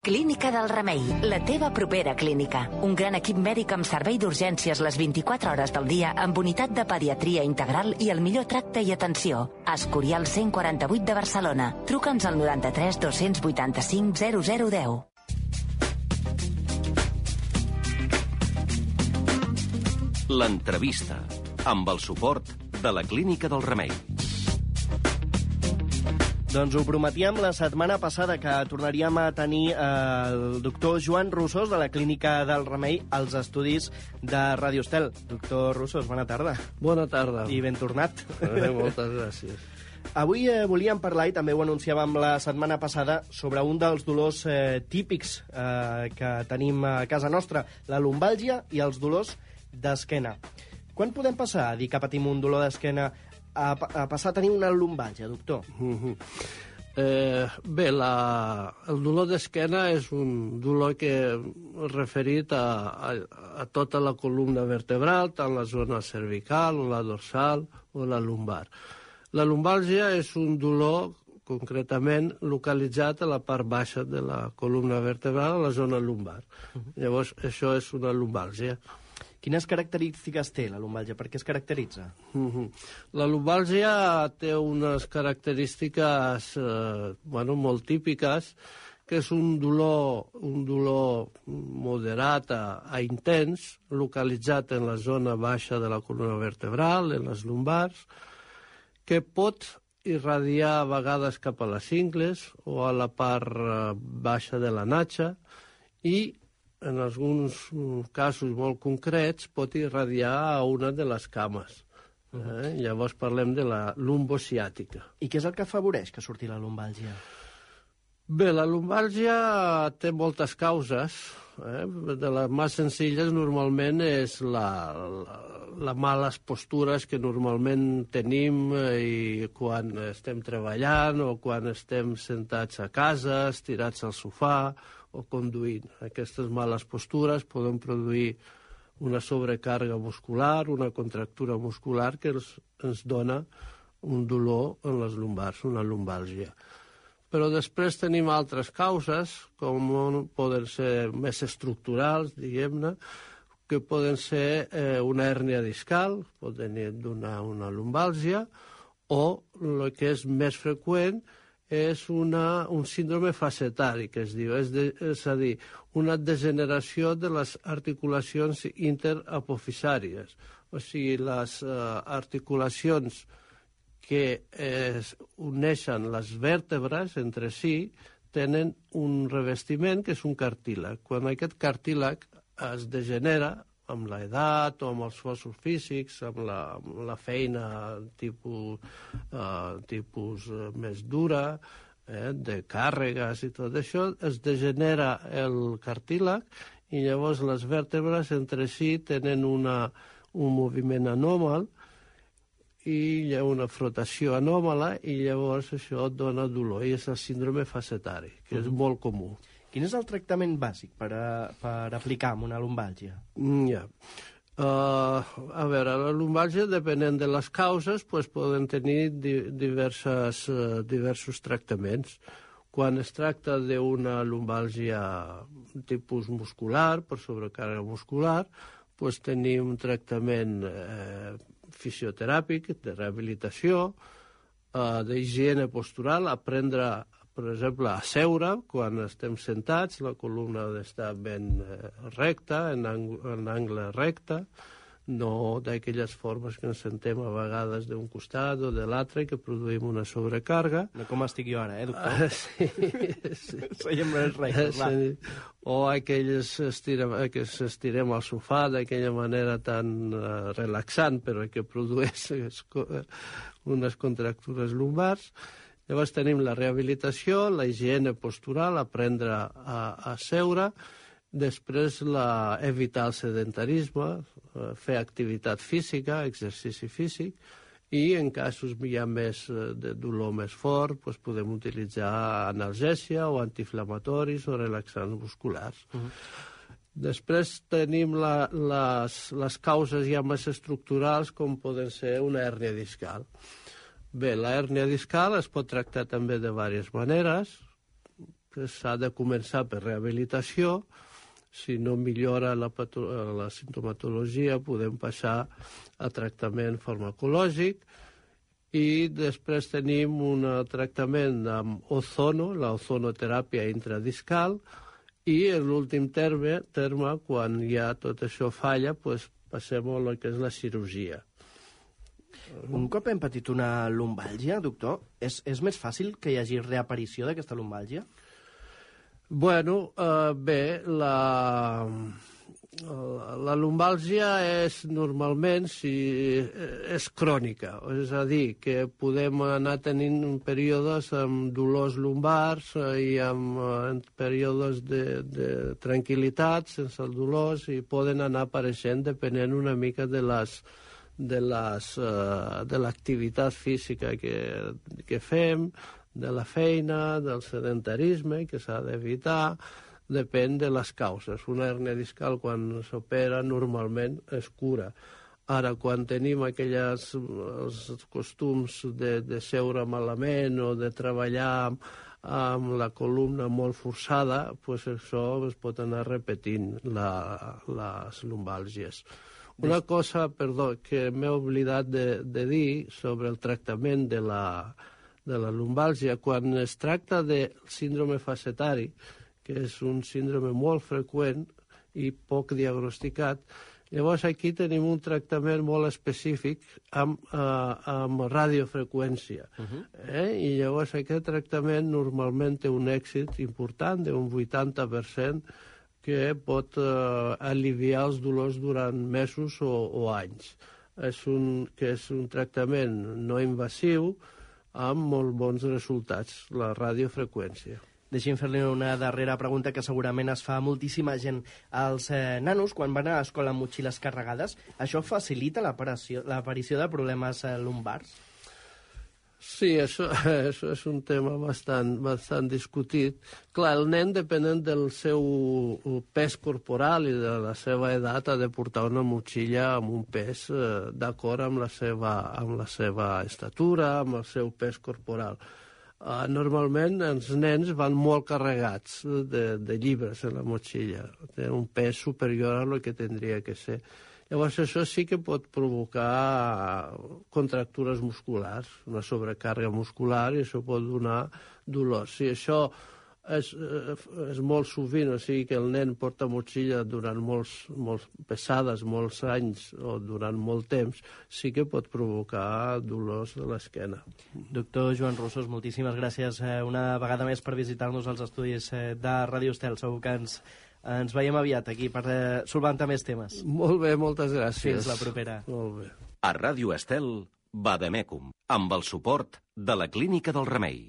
Clínica del Remei, la teva propera clínica. Un gran equip mèdic amb servei d'urgències les 24 hores del dia, amb unitat de pediatria integral i el millor tracte i atenció. Escorial 148 de Barcelona. Truca'ns al 93 285 0010. L'entrevista, amb el suport de la Clínica del Remei. Doncs ho prometíem la setmana passada, que tornaríem a tenir el doctor Joan Rosós de la Clínica del Remei als estudis de Ràdio Estel. Doctor Rosós, bona tarda. Bona tarda. I ben tornat. Moltes gràcies. Avui volíem parlar, i també ho anunciàvem la setmana passada, sobre un dels dolors típics que tenim a casa nostra, la lumbàlgia i els dolors d'esquena. Quan podem passar a dir que patim un dolor d'esquena a passar a tenir una lumbàlgia, doctor? Bé, el dolor d'esquena és un dolor que referit a tota la columna vertebral, tant la zona cervical, o la dorsal, o la lumbar. La lumbàlgia és un dolor concretament localitzat a la part baixa de la columna vertebral, a la zona lumbar. Llavors, això és una lumbàlgia. Quines característiques té la lumbàlgia? Per què es caracteritza? La lumbàlgia té unes característiques molt típiques, que és un dolor moderat a intens, localitzat en la zona baixa de la columna vertebral, en les lumbars, que pot irradiar a vegades cap a les cingles o a la part baixa de la natxa i en alguns casos molt concrets, pot irradiar a una de les cames. Llavors parlem de la lumbociàtica. I què és el que afavoreix que surti la lumbàlgia? Bé, la lumbàlgia té moltes causes. De les més senzilles normalment és les males postures que normalment tenim i quan estem treballant o quan estem sentats a casa, estirats al sofà o conduint. Aquestes males postures poden produir una sobrecàrrega muscular, una contractura muscular que ens dona un dolor en les lumbars, una lumbàlgia. Però després tenim altres causes, com poden ser més estructurals, diguem-ne, que poden ser una hèrnia discal, poden donar una lumbàlgia, o el que és més freqüent és un síndrome facetari, que es diu, és a dir, una degeneració de les articulacions interapofisàries. O sigui, les articulacions que uneixen les vèrtebres entre si tenen un revestiment que és un cartílag. Quan aquest cartílag es degenera amb l'edat o amb els esforços físics, amb la feina tipus més dura, de càrregues i tot això, es degenera el cartílag i llavors les vèrtebres entre si tenen un moviment anòmal i hi ha una frotació anòmala i llavors això dona dolor i és el síndrome facetari, que és molt comú. Quin és el tractament bàsic per aplicar amb una lumbàlgia? A veure, la lumbàlgia, depenent de les causes, poden tenir diversos tractaments. Quan es tracta d'una lumbàlgia tipus muscular, per sobrecàrrega muscular, tenim un tractament fisioteràpic, de rehabilitació, d'higiene postural, aprendre, per exemple, a seure quan estem sentats, la columna ha d'estar ben recta, en angle recte, no d'aquelles formes que ens sentem a vegades d'un costat o de l'altre, que produïm una sobrecàrrega. No com estic jo ara, doctor? Sí. Seiem més rectes, clar. O aquelles que s'estirem al sofà d'aquella manera tan relaxant, però que produeix unes contractures lumbars. Llavors tenim la rehabilitació, la higiene postural, aprendre a seure, després evitar el sedentarisme, fer activitat física, exercici físic, i en casos ja més de dolor més fort podem utilitzar analgèsia o antiinflamatoris o relaxants musculars. Després tenim les causes ja més estructurals, com poden ser una hèrnia discal. Bé, la hèrnia discal es pot tractar també de diverses maneres. que s'ha de començar per rehabilitació. Si no millora la simptomatologia, podem passar a tractament farmacològic, i després tenim un tractament amb ozono, l'ozonoteràpia intradiscal, i en l'últim terme, quan ja tot això falla, passem a el que és la cirurgia. Un cop hem patit una lumbàlgia, doctor, és més fàcil que hi hagi reaparició d'aquesta lumbàlgia? Bueno, bé, la lumbàlgia és normalment és crònica, és a dir, que podem anar tenint períodes amb dolors lumbars i amb períodes de tranquil·litat sense el dolors, i poden anar apareixent depenent una mica de l'activitat física que fem, de la feina, del sedentarisme, que s'ha d'evitar, depèn de les causes. Una hèrnia discal, quan s'opera, normalment es cura. Ara, quan tenim els costums de seure malament o de treballar amb la columna molt forçada, això es pot anar repetint, les lumbàlgies. Una cosa, perdó, que m'he oblidat de dir sobre el tractament de la lumbàlgia, quan es tracta de síndrome facetari, que és un síndrome molt freqüent i poc diagnosticat, llavors aquí tenim un tractament molt específic amb radiofreqüència. I llavors aquest tractament normalment té un èxit important d'un 80%, que pot aliviar els dolors durant mesos o anys. És un tractament no invasiu, amb molt bons resultats, la radiofreqüència. Deixi'm fer-li una darrera pregunta que segurament es fa moltíssima gent. Els nanos, quan van a l'escola amb motxilles carregades, això facilita l'aparició de problemes lumbars? Sí, això és un tema bastant discutit. Clar, el nen, depenent del seu pes corporal i de la seva edat, ha de portar una motxilla amb un pes d'acord amb la seva estatura, amb el seu pes corporal. Normalment els nens van molt carregats de llibres en la motxilla. Tenen un pes superior a lo que tindria que ser. Llavors això sí que pot provocar contractures musculars, una sobrecàrrega muscular, i això pot donar dolor. Si això és molt sovint, o sigui que el nen porta motxilla durant molts pesades, molts anys o durant molt temps, sí que pot provocar dolors de l'esquena. Doctor Joan Rossos, moltíssimes gràcies una vegada més per visitar-nos als estudis de Ràdio Estel. Segur que ens veiem aviat aquí per solventar més temes. Molt bé, moltes gràcies. Fins la propera. Molt bé. A Ràdio Estel, Vademecum, amb el suport de la Clínica del Remei.